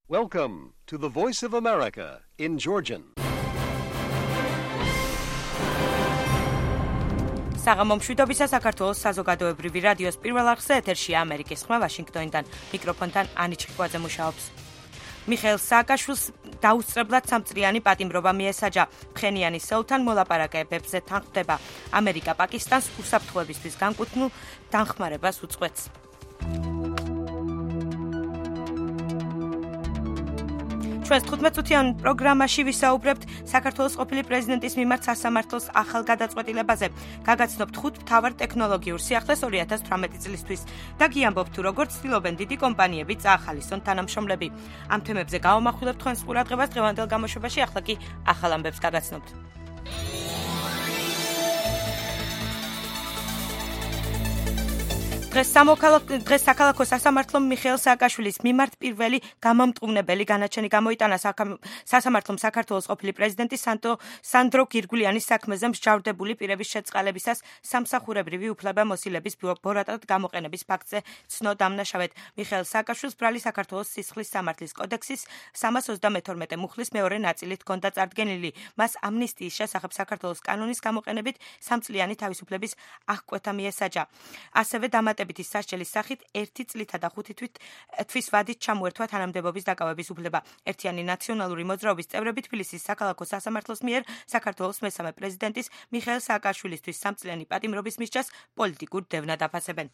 Welcome to the Voice of America in Georgian. საღამომშვიდობისა საქართველოს საზოგადოებრივი რადიოს პირველ არხზე ეთერშია ამერიკის ხმა ვაშინგტონიდან. მიკროფონთან ანი ჩხიკვაძე მუშაობს. მიხეილ სააკაშვილს დაუსწრებლად სამწლიანი პატიმრობა მიესაჯა. ფხენიანის სეულთან მოლაპარაკებებზე თანხმდება. ამერიკა პაკისტანს უსაფრთხოებისთვის განკუთვნილ დახმარებას უწყვეტს. ჩვენს 15-წუთიან პროგრამაში ვისაუბრებთ საქართველოს ყოფილი პრეზიდენტის მიმართ სასამართლოს ახალ გადაწყვეტილებაზე. გაგაცნობთ 5 მთავარ ტექნოლოგიურ სიახლეს 2018 წლისთვის და გიამბობთ თუ როგორ ცდილობენ დიდი კომპანიები წაახალისონ თანამშრომლები. ამ თემებზე გავამახვილებთ თქვენს ყურადღებას დღევანდელ გამოშვებაში, ახლა კი ახალ ამბებს გაგაცნობთ. დღეს საქალაქო სასამართლომ მიხეილ სააკაშვილის მიმართ პირველი გამომტყუნებელი განაჩენი გამოიტანა. სასამართლომ საქართველოს ყოფილი პრეზიდენტის სანდრო გირგულიანის საქმეზე მსჯავრდებული პირების შეწყალებისას სამსახურებრივი უფლებამოსილების ბორატად გამოყენების ფაქტზე ცნო დამნაშავედ. მიხეილ სააკაშვილს ბრალი საქართველოს სისხლის სამართლის კოდექსის 332 მუხლის მეორე ნაწილით ჰქონდა წარდგენილი. მას ამნისტიის შესახებ საქართველოს კანონის გამოყენებით 3 წლიანი თავისუფლების აღკვეთა მიესაჯა. ასევე ის სასჯელის სახით 1 წლითა და 5 თვის ვადით ჩამოერთვა თანამდებობის დაკავების უფლება. ერთიანი ნაციონალური მოძრაობის წევრები თბილისის საქალაქო სასამართლოს მიერ საქართველოს მესამე პრეზიდენტის მიხეილ სააკაშვილისთვის 3 წლიანი პატიმრობის მისჯას პოლიტიკურ დევნად აფასებენ.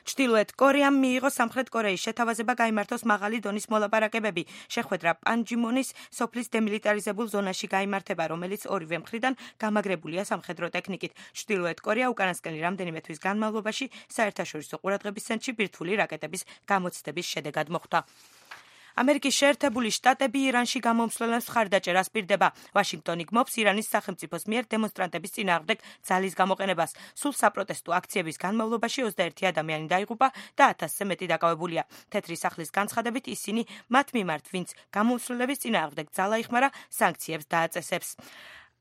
ჩრდილოეთ კორეამ მიიღო სამხრეთ კორეის შეთავაზება გაიმართოს მაღალი დონის მოლაპარაკებები. შეხვედრა პანჯიმონის სოფლის დემილიტარიზებულ ზონაში გაიმართება, რომელიც ორივე მხრიდან გამაგრებულია სამხედრო ტექნიკით. ჩრდილოეთ კორეა უკანასკნელი რამდენიმე თვის განმავლობაში საერთაშორისო ყურადღების ცენტრში ბირთვული რაკეტების გამოცდების შედეგად მოხვდა. ამერიკის შეერთებული შტატები ირანში გამომსვლელებს მხარდაჭერას პირდება. ვაშინგტონი გმობს ირანის სახელმწიფოს მიერ დემონსტრანტების წინააღმდეგ ძალის გამოყენებას. სულ საპროტესტო აქციების განმავლობაში 21 ადამიანი დაიღუპა და 1000-ზე მეტი დაკავებულია. თეთრი სახლის განცხადებით ისინი მათ მიმართ, ვინც გამომსვლელების წინააღმდეგ ძალა იხმარა, სანქციებს დააწესებს.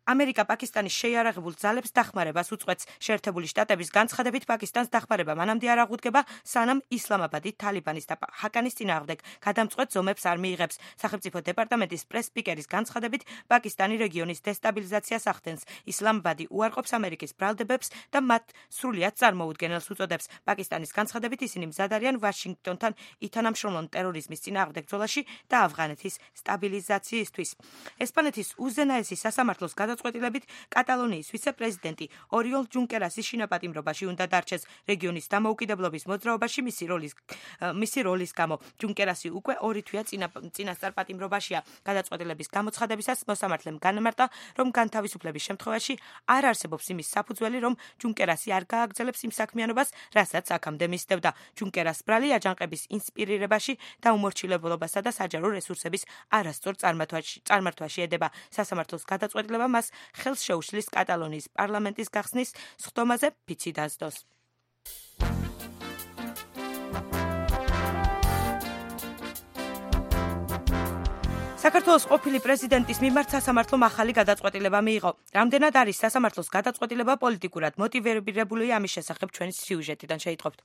ამერიკა პაკისტანის შეიარაღებულ ძალებს დახმარებას უწყვეტს. შეერთებული შტატების განცხადებით პაკისტანს დახმარება მანამდე არ აღუდგება, სანამ ისლამაბადი თალიბანის და ჰაკანის წინააღმდეგ გადამწყვეტ ზომებს არ მიიღებს. სახელმწიფო დეპარტამენტის პრეს-სპიკერის განცხადებით პაკისტანი რეგიონის დესტაბილიზაციას ახდენს. ისლამაბადი უარყოფს ამერიკის ბრალდებებს და მათ სრულიად წარმოუდგენელს უწოდებს. პაკისტანის განცხადებით ისინი მზად არიან ვაშინგტონთან ითანამშრომლონ ტერორიზმის წინააღმდეგ ბრძოლაში და ავღანეთის სტაბილიზაციისთვის. ესპანეთის უზენაესი სასამართლოს გადაწყვეტილებით კატალონიის ვიცე-პრეზიდენტი ორიოლ ჯუნკერასის შინაპატიმრობაში უნდა დარჩეს. რეგიონის დამოუკიდებლობის მოძრაობაში მისი როლის გამო ჯუნკერასი უკვე 2 თვეა წინასწარ პატიმრობაშია. გადაწყვეტილების გამოცხადებისას მოსამართლემ განმარტა, რომ განთავისუფლების შემთხვევაში არ არსებობს იმის საფუძველი, რომ ჯუნკერასი არ გააგრძელებს იმ საქმიანობას, რასაც აქამდე მისდევდა. ჯუნკერას ბრალი აჯანყების ინსპირირებაში და უმორჩილებობასა და საჯარო რესურსების არასწორ წარმართვაში ედება. სასამართლოს გადაწყვეტილება მას ხელს შეუშლის კატალონიის პარლამენტის გახსნის სხდომაზე ფიცი დასდოს. საქართველოს ყოფილი პრეზიდენტის მიმართ სასამართლომ ახალი გადაწყვეტილება მიიღო. რამდენად არის სასამართლოს გადაწყვეტილება პოლიტიკურად მოტივირებული, ამის შესახებ ჩვენი სიუჟეტიდან შეიტყობთ.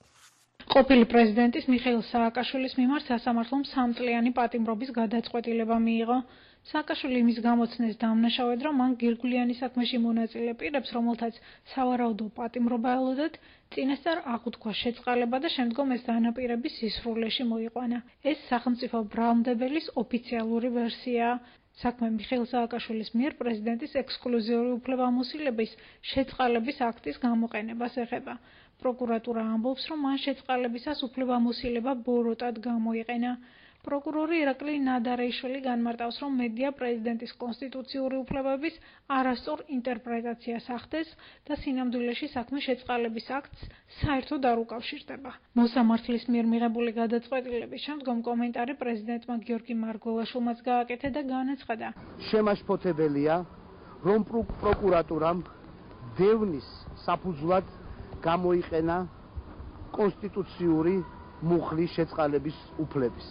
ყოფილი პრეზიდენტის მიხეილ სააკაშვილის მიმართ სასამართლომ 3 წლიანი პატიმრობის გადაწყვეტილება მიიღო. სააკაშვილი იმის გამოცნეს დამნაშავედ, რომ მან გირგულიანის საქმეში მონაწილე პირებს, რომელთაც სავარაუდო პატიმრობა ელოდათ, წინასწარ აღუთქვა შეწყალება და შემდგომ ეს დანაპირები სისხლში მოიყვანა. ეს სახელმწიფო ბრალმდებელის ოფიციალური ვერსიაა. საქმე მიხეილ სააკაშვილის მიერ პრეზიდენტის ექსკლუზიური უფლებამოსილების შეწყალების აქტის გამოყენებას ეხება. პროკურატურა ამბობს, რომ მან შეწყალებისას უფლებამოსილება ბოროტად გამოიყენა. პროკურორი ირაკლი ნადარეიშვილი განმარტავს, რომ მედია პრეზიდენტის კონსტიტუციური უფლებების არასწორ ინტერპრეტაციას ახდენს და სინამდვილეში საქმე შეწყალების აქტს საერთოდ არ უკავშირდება. მოსამართლის მიერ მიღებული გადაწყვეტილების შემდგომ კომენტარი პრეზიდენტმა გიორგი მარგველაშვილმაც გააკეთა და განაცხადა. შემაშფოთებელია, რომ პროკურატურამ დევნის საფუძვლად გამოიყენა კონსტიტუციური მუხლის შეწყალების უფლების.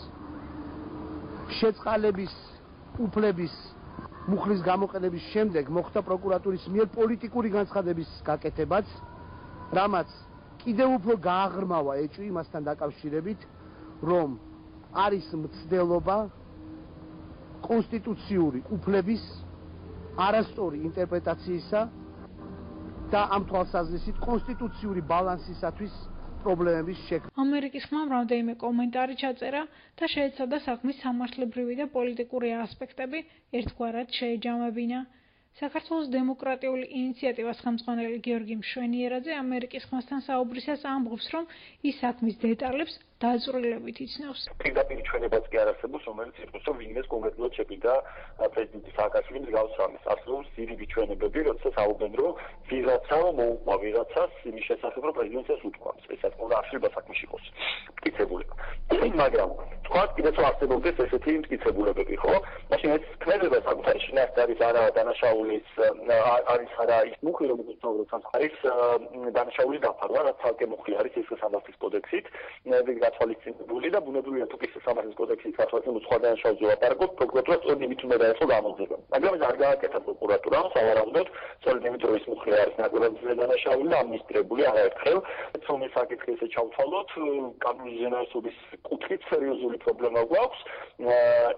შეწყალების უფლების მუხლის გამოყენების შემდეგ მოხდა პროკურატურის მიერ პოლიტიკური განცხადების გაკეთებაც, რამაც კიდევ უფრო გააღრმავა ეჭვი იმასთან დაკავშირებით, რომ არის მცდელობა კონსტიტუციური უფლების არასწორი ინტერპრეტაციისა და ამ თვალსაზრისით კონსტიტუციური ბალანსისათვის პრობლემების შექმნა. ამერიკის ხმამ რამდენიმე კომენტარი ჩაწერა და შეეცადა საქმის სამართლებრივი და პოლიტიკური ასპექტები ერთგვარად შეეჯამებინა. საქართველოს დემოკრატიული ინიციატივას ხელმძღვანელი გიორგი მშვენიერაძე ამერიკის ხმასთან საუბრისას ამბობს, რომ ის საქმის დეტალებს დაწვრილებით იცნობს. პირდაპირ ჩვენებაც კი არ არსებობს, რომელიც ითქვას, რომ ვინმეს კონკრეტულად შეფიქრა პრეზიდენტი სააკაშვილის მსგავს რამეს. არსებობს ძირითადი ჩვენებები, როდესაც აუგენ, რომ ვიღაცა მოუყვა ვიღაცას იმის შესახებ, რომ პრეზიდენტს უთქვამს. ესაც უნდა არსება საქმეში იყოს მტკიცებულება. მაგრამ თქვა კიდეც არსებობდეს ესეთი მტკიცებულებები, ხო? მაშინ ეს ქმედება საკუთარი შინაარსით არის არა დანაშაულის არის არა ის მუხლი, რომელიც არის დანაშაულის დაფარვა, რაც ცალკე მუხლი არის ეს სამართლის კოდექსით. გათვალისწინებული და ბუნებრივია თუ კი სამართლის კოდექსით გათვალისწინებული სხვა დანაშაულზე ლაპარაკობთ, პროკურატურა სწორედ იმით უნდა დაეწყო გამოძიება. მაგრამ ეს არ გააკეთა პროკურატურამ, სავარაუდოდ, სწორედ იმით რომ ის მუხლი არის ნაკლებად დანაშაული და ამნისტირებული არაერთხელ. რომ ეს საკითხი ესე ჩავთვალოთ, კანონის ზენაესობის კუთხით სერიოზული პრობლემა გვაქვს.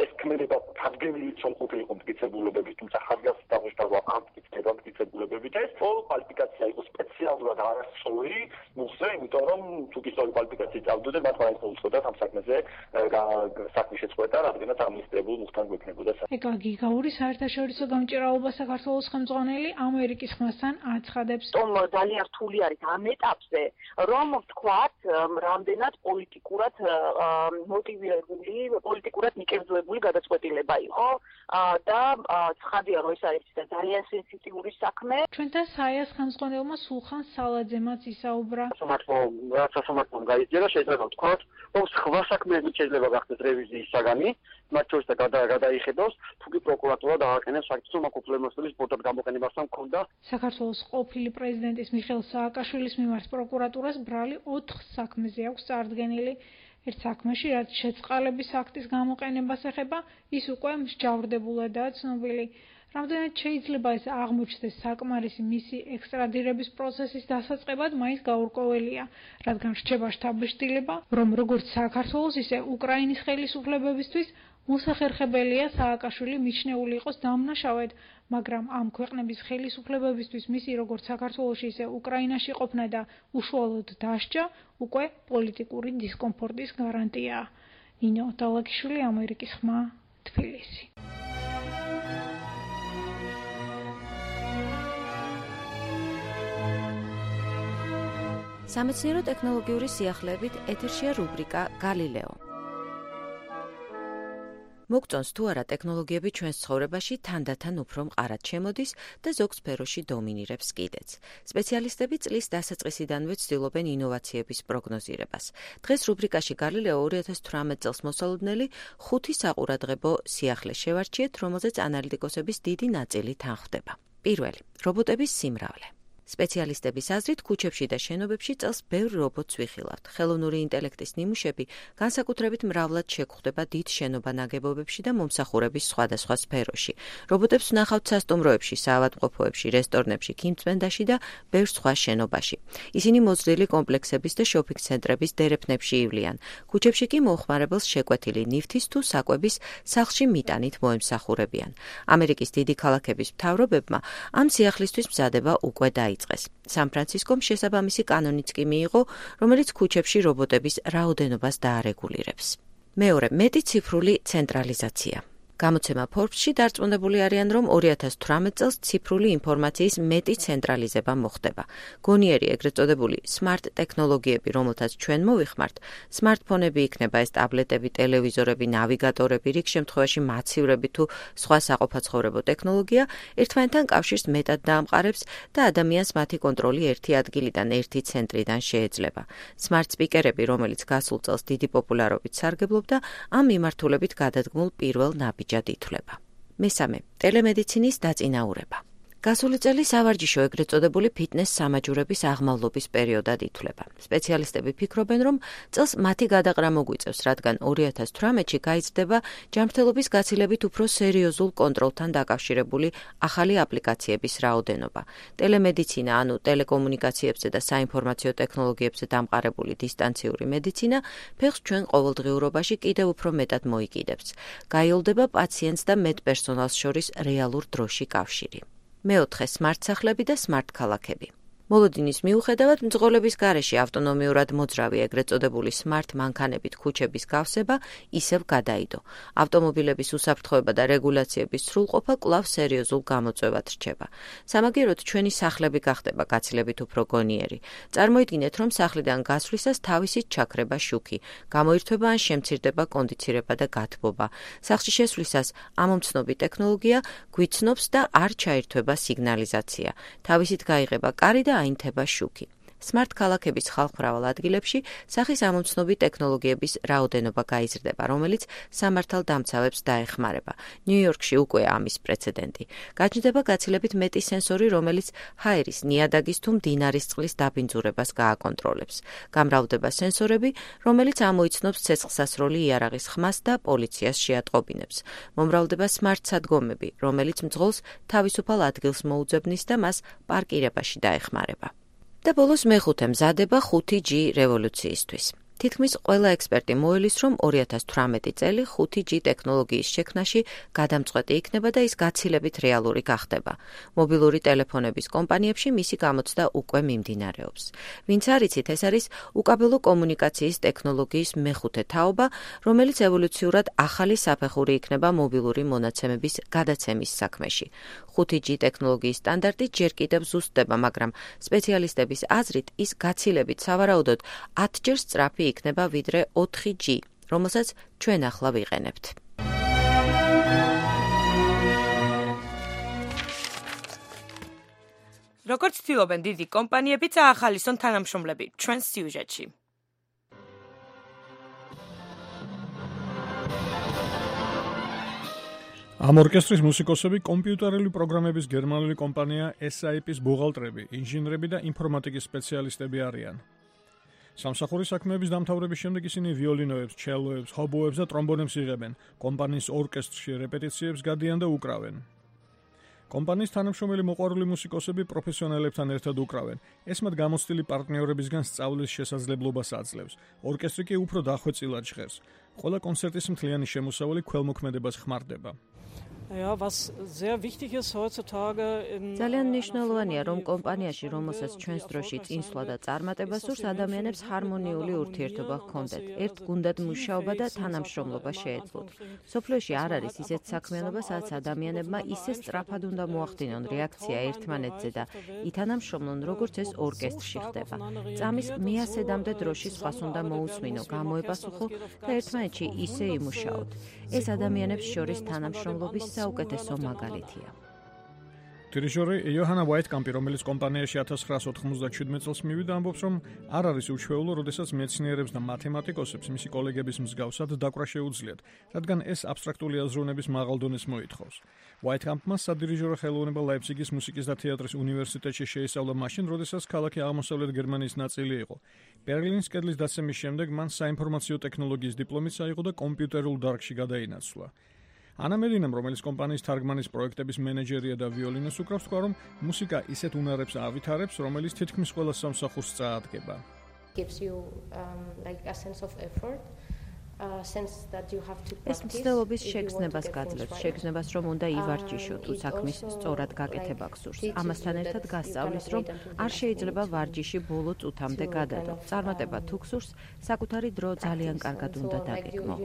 ეს ქმედება თარგმნილი სამყოფი იყო მტკიცებულებებით, თუმცა ხარგას დაგვეშტავა ამ მტკიცებულებებით ეს კვალიფიკაცია იყო სპეციალურად არასწორი მუხლზე, იმიტომ რომ თუ კი სწორი კვალიფიკაცია და მათ მაინც უცხოდათ ამ საქმეზე საქმის შეწყვეტა, რადგანაც ამნისტირებულ მუხთან გვექნებოდა. ეკა გიგაური საერთაშორისო გამჭირაობა საქართველოს ხელმძღვანელი ამერიკის ხმასთან აცხადებს. ძალიან რთული არის ამ ეტაპზე, რომ ვთქვათ, რამდენად პოლიტიკურად მოტივირებული, პოლიტიკურად მიკერძოებული გადაწყვეტილება იყო და ცხადია, რომ ეს არის ძალიან სენსიტიური საქმე. ჩვენთან საიას ხელმძღვანელმა სულხან სალაძემაც ისაუბრა. სასამართლომ გაიძიება შეიძლება ვთქვათ, რომ სხვა საქმეებით შეიძლება გახდეს რევიზიის საგანი, მათ შორის და გადაიხედოს, თუ კი პროკურატურა დააყენებს ფაქტს, რომ აქ უფლებამოსილების ბორდად გამოყენებასთან მქონდა. საქართველოს ყოფილი პრეზიდენტის მიხეილ სააკაშვილის მიმართ პროკურატურას ბრალი 4 საქმეზე აქვს წარდგენილი. ერთ საქმეში, რაც შეწყალების აქტის გამოყენებას ეხება, ის უკვე მსჯავრდებულადაა ცნობილი. რამდენად შეიძლება ეს აღმოჩნდეს საკმარისი მისი ექსტრადირების პროცესის დასაწყებად, მაინც გაურკვეველია, რადგან რჩება შთაბეჭდილება, რომ როგორც საქართველოს, ისე უკრაინის ხელისუფლებებისთვის მოსახერხებელია სააკაშვილი მიჩნეული იყოს დამნაშავედ, მაგრამ ამ ქვეყნების ხელისუფლებებისთვის მისი როგორც საქართველოში, ისე უკრაინაში ყოფნა და უშუალოდ დასჯა უკვე პოლიტიკური დისკომფორტის გარანტიაა. ნინო დალაკიშვილი, ამერიკის ხმა, თბილისი. სამეცნიერო ტექნოლოგიური სიახლეებით ეთერშია რუბრიკა გალილეო. მოგწონს თუ არა ტექნოლოგიები ჩვენს ცხოვრებაში თანდათან უფრო მყარად შემოდის და ზოგ სფეროში დომინირებს კიდეც. სპეციალისტები წლის დასაწყისიდანვე ცდილობენ ინოვაციების პროგნოზირებას. დღეს რუბრიკაში გალილეო 2018 წელს მოსალოდნელი 5 საყურადღებო სიახლე შევარჩიეთ, რომელზეც ანალიტიკოსების დიდი ნაწილი თანხვდება. პირველი, რობოტების სიმრავლე. სპეციალისტების აზრით, ქუჩებში და შენობებში წელს ბევრ რობოტს ვიხილავთ. ხელოვნური ინტელექტის ნიმუშები განსაკუთრებით მრავლად შეგხვდება დიდ შენობა-ნაგებობებში და მომსახურების სხვადასხვა სფეროში. რობოტებს ვნახავთ სასტუმროებში, საავადმყოფოებში, რესტორნებში, ქიმწმენდაში და ბევრ სხვა შენობაში. ისინი მოზრდილი კომპლექსების და შოპინგ-ცენტრების დერეფნებში ივლიან. ქუჩებში კი მოუხმარებელს შეკვეთილი ნივთის თუ საკვების სახლში მიტანით მოემსახურებიან. ამერიკის დიდი ქალაქების მთავრობებმა ამ სიახლისთვის მზადება უკვე დაიწყეს. სან-ფრანცისკომ შესაბამისი კანონიც კი მიიღო, რომელიც ქუჩებში რობოტების რაოდენობას დაარეგულირებს. მეორე, მეტი ციფრული ცენტრალიზაცია. გამოცემა Forbes-ში დარწმუნებული არიან, რომ 2018 წელს ციფრული ინფორმაციის მეტი ცენტრალიზება მოხდება. გონიერი ეგრეთ წოდებული smart ტექნოლოგიები, რომელთაც ჩვენ მოვიხმართ, smartphone-ები იქნება ეს ტაბლეტები, ტელევიზორები, ნავიგატორები, რიგ შემთხვევაში მაცივრები თუ სხვა საყოფაცხოვრებო ტექნოლოგია, ერთმანეთთან კავშირს მეტად დაამყარებს და ადამიანს მათი კონტროლი ერთი ადგილიდან, ერთი ცენტრიდან შეეძლება. Smart speaker-ები, რომელიც გასულ წელს დიდი პოპულარობით სარგებლობდა, ამ მიმართულებით გადადგმულ პირველ ნაბიჯად ითვლება. მესამე, ტელემედიცინის დაწინაურება. გასული წელი სავარჯიშო ეგრეთ წოდებული ფიტნეს სამაჯურების აღმავლობის პერიოდად ითვლება. სპეციალისტები ფიქრობენ, რომ წელს მათი გადაყრა მოგვიწევს, რადგან 2018-ში გაიზრდება ჯანმრთელობის გაცილებით უფრო სერიოზულ კონტროლთან დაკავშირებული ახალი აპლიკაციების რაოდენობა. ტელემედიცინა, ანუ ტელეკომუნიკაციებზე და საინფორმაციო ტექნოლოგიებზე დამყარებული დისტანციური მედიცინა ფეხს ჩვენ ყოველდღიურობაში კიდევ უფრო მეტად მოიკიდებს. გაიოლდება პაციენტს და მედპერსონალს შორის რეალურ დროში კავშირი. მეოთხე სმარტ სახლები და სმარტ ქალაქები. მოლოდინის მიუხედავად მძღოლების გარეშე ავტონომიურად მოძრავი ეგრეთ წოდებული სმარტ მანქანებით ქუჩების გავსება ისევ გადაიდო. ავტომობილების უსაფრთხოება და რეგულაციების სრულყოფა კვლავ სერიოზულ გამოწვევად რჩება. სამაგიეროდ ჩვენი სახლები გახდება გაცილებით უფრო გონიერი. წარმოიდგინეთ, რომ სახლიდან გასვლისას თავისით ჩაქრება შუქი, გამოირთვება ან შემცირდება კონდიცირება და გათბობა. სახლში შესვლისას ამომცნობი ტექნოლოგია გვიცნობს და არ ჩაირთვება სიგნალიზაცია. თავისით გაიღება კარი და აინთება შუქი. სმარტ ქალაქების ხალხმრავალ ადგილებში სახის ამომცნობი ტექნოლოგიების რაოდენობა გაიზრდება, რომელიც სამართალდამცავებს დაეხმარება. ნიუ-იორკში უკვე ამის პრეცედენტი. გაჩნდება გაცილებით მეტი სენსორი, რომელიც ჰაერის, ნიადაგის თუ მდინარის წყლის დაბინძურებას გააკონტროლებს. გამრავლდება სენსორები, რომელიც ამოიცნობს ცეცხლსასროლი იარაღის ხმას და პოლიციას შეატყობინებს. მომრავლდება სმარტ სადგომები, რომელიც მძღოლს თავისუფალ ადგილს მოუძებნის და მას პარკირებაში დაეხმარება. და ბოლოს მეხუთე მზადება 5G რევოლუციისთვის. თითქმის ყველა ექსპერტი მოელის, რომ 2018 წელი 5G ტექნოლოგიის შექმნაში გადამწყვეტი იქნება და ის გაცილებით რეალური გახდება. მობილური ტელეფონების კომპანიებში მისი გამოცდა უკვე მიმდინარეობს. ვინც არ იცით, ეს არის უკაბელო კომუნიკაციის ტექნოლოგიის მეხუთე თაობა, რომელიც ევოლუციურად ახალი საფეხური იქნება მობილური მონაცემების გადაცემის საქმეში. 5G ტექნოლოგიის სტანდარტი ჯერ კიდევ ზუსტდება, მაგრამ სპეციალისტების აზრით ის გაცილებით სავარაუდოდ 10 ჯერ სწრაფი იქნება ვიდრე 4G, რომელსაც ჩვენ ახლა ვიყენებთ. როგორც ცდილობენ დიდი კომპანიები წაახალისონ თანამშრომლები ჩვენს სიუჟეტში. ამ ორკესტრის მუსიკოსები კომპიუტერული პროგრამების გერმანული კომპანია SAP-ის ბუღალტრები, ინჟინრები და ინფორმატიკის სპეციალისტები არიან. სამსახურის საქმეების დამთავრების შემდეგ ისინი ვიოლინოებს, ჩელოებს, ჰობოებს და ტრომბონებს იღებენ, კომპანიის ორკესტრში რეპეტიციებს გადიან და უკრავენ. კომპანიის თანამშრომელი მოყვარული მუსიკოსები პროფესიონალებთან ერთად უკრავენ. ეს მათ გამოცდილი პარტნიორებისგან სწავლის შესაძლებლობას აძლევს. ორკესტრი კი უფრო დახვეწილად ჟღერს. ყველა კონცერტის მთლიანი შემოსავალი ქველმოქმედებას ხმარდება. ძალიან მნიშვნელოვანია, რომ კომპანიაში, რომელსაც ჩვენს დროში წინსვლა და წარმატება სურს, ადამიანებს ჰარმონიული ურთიერთობა ჰქონდეთ, ერთ გუნდად მუშაობა და თანამშრომლობა შეეძლოთ. სოფლიოში არ არის ისეთ საქმიანობა, სადაც ადამიანებმა ისე სწრაფად უნდა მოახდინონ რეაქცია ერთმანეთზე და ითანამშრომლონ, როგორც ეს ორკესტრში ხდება. წამის მე-100-მდე დროში სხვას უნდა მოусმინო, გამოეპასუხო და ერთმანეთში ისე იმუშაოთ. ეს ადამიანებს შორის თანამშრომლობის საუკეთესო მაგალითია. დირიჟორი იოჰანა ვაიტკამპი, რომელიც კომპანიაში 1997 წელს მივიდა, ამბობს, რომ არ არის უჩვეულო, როდესაც მეცნიერებს და მათემატიკოსებს მისი კოლეგების მსგავსად დაკვრა შეუძლიათ, რადგან ეს აბსტრაქტული აზროვნების მაღალ დონეს მოითხოვს. ვაიტკამპმა სადირიჟორო ხელოვნება ლაიფციგის მუსიკის და თეატრის უნივერსიტეტში შეისწავლა მაშინ, როდესაც ქალაქი აღმოსავლეთ გერმანიის ნაწილი იყო. ბერლინის კედლის დაცემის შემდეგ მან საინფორმაციო ტექნოლოგიის დიპლომიც აიღო და კომპიუტერულ დარგში გადაინაცვლა. ანა მედინამ, რომელიც კომპანიის თარგმანის პროექტების მენეჯერია და ვიოლინოს უკრავს, თქვა, რომ მუსიკა ისეთ უნარებს ავითარებს, რომელიც თითქმის ყველა სამსახურს წაადგება. ეს მცდელობის შეგრძნებას გაძლევს, შეგრძნებას, რომ უნდა ივარჯიშო, თუ საქმის სწორად გაკეთება გსურს. ამასთან ერთად გასწავლის, რომ არ შეიძლება ვარჯიში ბოლო წუთამდე გადადო. წარმატება თუ გსურს, საკუთარი დრო ძალიან კარგად უნდა დაგეგმო.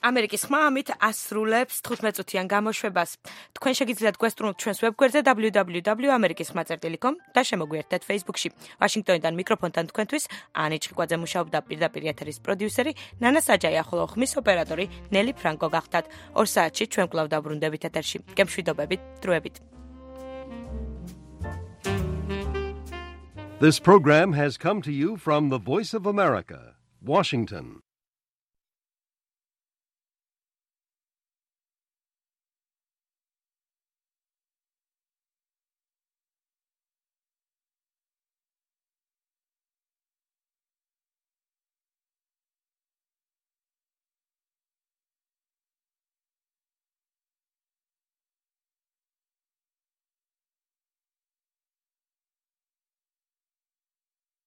ამერიკის ხმა ამით ასრულებს 15 წუთიან გამოშვებას. თქვენ შეგიძლიათ გვესტუმროთ ჩვენს ვებგვერდზე www.amerikisxma.com და შემოგვიერთდეთ Facebook-ში. ვაშინგტონიდან მიკროფონთან თქვენთვის ანი ჭიკვაძე მუშაობდა, პირდაპირ ეთერის პროდიუსერი ნანა საჯაია, ხოლო ხმის ოპერატორი ნელი ფრანკო გახდათ. 2 საათში ჩვენ კვლავ დაბრუნდებით ეთერში. გემშვიდობებით, დროებით. This program has come to you from the Voice of America, Washington.